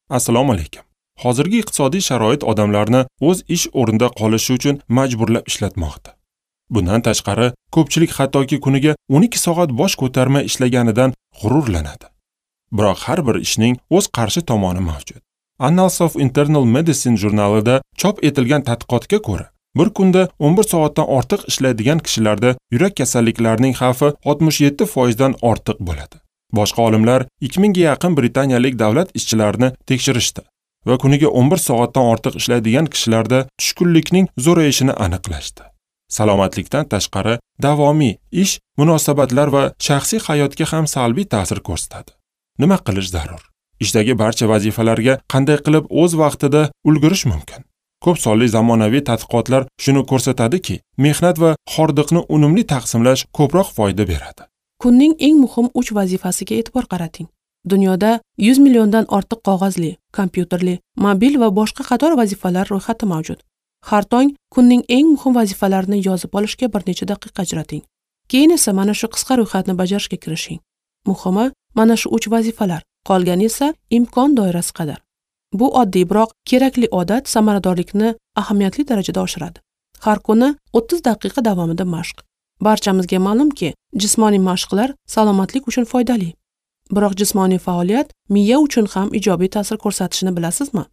Assalomu alaykum. Hozirgi iqtisodiy sharoit odamlarni o'z ish o'rnida qolishi uchun majburlab ishlatmoqda. Bundan tashqari, ko'pchilik hattoki kuniga 12 soat bosh ko'tarmay ishlaganidan g'ururlanadi. Biroq har bir ishning o'z qarshi tomoni mavjud. Annals of Internal Medicine jurnalida chop etilgan tadqiqotga ko'ra, bir kunda 11 soatdan ortiq ishlaydigan kishilarda yurak kasalliklarining xavfi 67% dan ortiq bo'ladi. Boshqa olimlar 2000 ga yaqin britaniyalik davlat ishchilarini tekshirishdi va kuniga 11 soatdan ortiq ishlaydigan kishilarda tushkunlikning zo'rayishini aniqlashdi. Salomatlikdan tashqari davomiy ish, munosabatlar va shaxsiy hayotga ham salbiy ta'sir ko'rsatadi. Nima qilish zarur? Ishdagi barcha vazifalarga qanday qilib o'z vaqtida ulgurish mumkin? Ko'p sonli zamonaviy tadqiqotlar shuni ko'rsatadiki, mehnat va hordiqni unumli taqsimlash ko'proq foyda beradi. Kunning eng muhim 3 vazifasiga e'tibor qarating. Dunyoda 100 milliondan ortiq qog'ozli, kompyuterli, mobil va boshqa qator vazifalar ro'yxati mavjud. Har tong kunning eng muhim vazifalarini yozib olishga bir necha daqiqa ajrating. Keyin esa mana shu qisqa ro'yxatni bajarishga kirishing. Muhimi mana shu 3 vazifalar, qolgani esa imkon doirasi qadar. Bu oddiy, biroq kerakli odat samaradorlikni ahamiyatli darajada oshiradi. Har kuni 30 daqiqa davomida mashq. Barchamizga ma'lumki, jismoniy mashqlar salomatlik uchun foydali. Biroq jismoniy faoliyat miya uchun ham ijobiy ta'sir ko'rsatishini bilasizmi?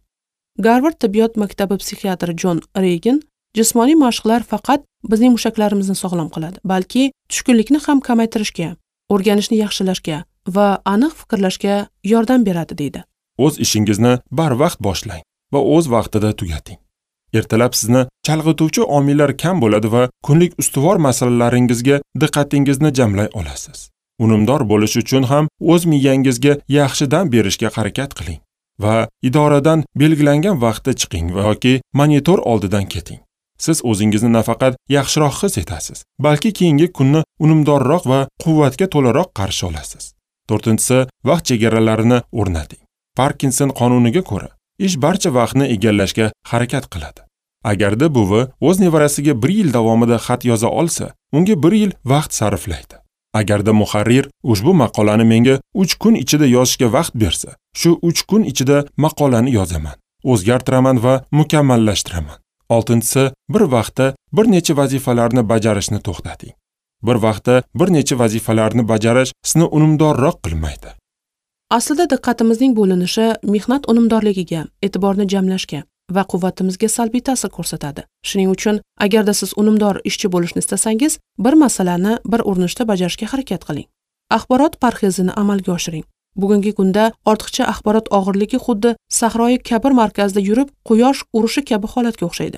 Garvard tibbiyot maktabi psixiatri Jon Regan jismoniy mashqlar faqat bizning mushaklarimizni sog'lom qiladi, balki tushkunlikni ham kamaytirishga, o'rganishni yaxshilashga va aniq fikrlashga yordam beradi deydi. O'z ishingizni barvaqt boshlang va o'z vaqtida tugating. Ertalab sizni chalg'ituvchi omillar kam bo'ladi va kunlik ustuvor masalalaringizga diqqatingizni jamlay olasiz. Unumdor bo'lish uchun ham o'z miyangizga yaxshi dam berishga harakat qiling va idoradan belgilangan vaqtda chiqing yoki monitor oldidan keting. Siz o'zingizni nafaqat yaxshiroq his etasiz, balki keyingi kunni unumdorroq va quvvatga to'laroq qarshi olasiz. 4-si, vaqt chegaralarini o'rnating. Parkinson qonuniga ko'ra, ish barcha vaqtni egallashga harakat qiladi. Agarda buvi o'z nevarasiga 1 yil davomida xat yoza olsa, unga 1 yil vaqt sarflaydi. Agarda muharrir ushbu maqolani menga 3 kun ichida yozishga vaqt bersa, shu 3 kun ichida maqolani yozaman, o'zgartiraman va mukammallashtiraman. 6-si, bir vaqtda bir necha vazifalarni bajarishni to'xtating. Bir vaqtda bir necha vazifalarni bajarish sizni unumdorroq qilmaydi. Aslida diqqatimizning bo'linishi mehnat unumdorligiga, e'tiborni jamlashga va quvvatimizga salbiy ta'sir ko'rsatadi. Shuning uchun agarda siz unumdor ishchi bo'lishni istasangiz, bir masalani bir urinishda bajarishga harakat qiling. Axborot parhezini amalga oshiring. Bugungi kunda ortiqcha axborot og'irligi xuddi Sahroyi Kabir markazida yurib, quyosh urishi kabi holatga o'xshaydi.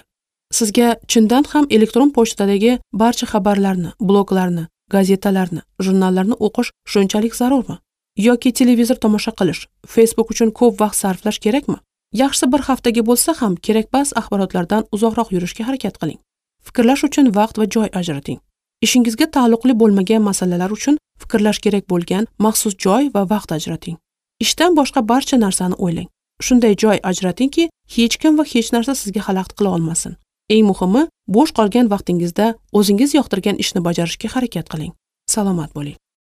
Sizga chindan ham elektron pochtadagi barcha xabarlarni, bloglarni, gazetalarni, jurnallarni o'qish shunchalik zarurmi? Yoki televizor tomosha qilish, Facebook uchun ko'p vaqt sarflash kerakmi? Yaxshisi bir haftaga bo'lsa ham kerakmas axborotlardan uzoqroq yurishga harakat qiling. Fikrlash uchun vaqt va joy ajrating. Ishingizga taalluqli bo'lmagan masalalar uchun fikrlash kerak bo'lgan maxsus joy va vaqt ajrating. Ishdan boshqa barcha narsani o'ylang. Shunday joy ajratingki, hech kim va hech narsa sizga xalaqit qila olmasin. Eng muhimi, bo'sh qolgan vaqtingizda o'zingiz yoqtirgan ishni bajarishga harakat qiling. Salomat bo'ling.